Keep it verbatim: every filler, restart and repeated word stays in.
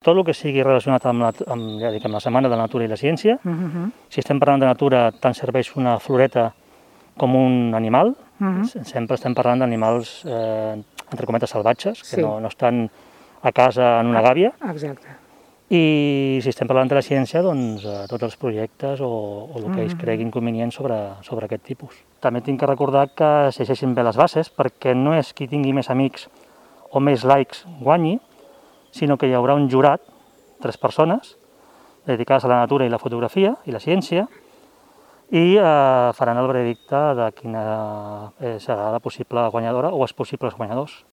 Tot el que sigui relacionat amb la, amb, ja dic, amb la Setmana de la Natura i la Ciència. Uh-huh. Si estem parlant de natura, tant serveix una floreta com un animal. Uh-huh. Sempre estem parlant d'animals, eh, entre cometes, salvatges, que sí. no, no estan a casa en una gàbia. Exacte. I si estem parlant de la ciència, doncs eh, tots els projectes o, o el que ells creguin convenient sobre, sobre aquest tipus. També tinc que recordar que es llegeixin bé les bases, perquè no és qui tingui més amics o més likes guanyi, sinó que hi haurà un jurat, tres persones, dedicades a la natura i la fotografia i la ciència, i eh, faran el veredicte de quina serà la possible guanyadora o els possibles guanyadors.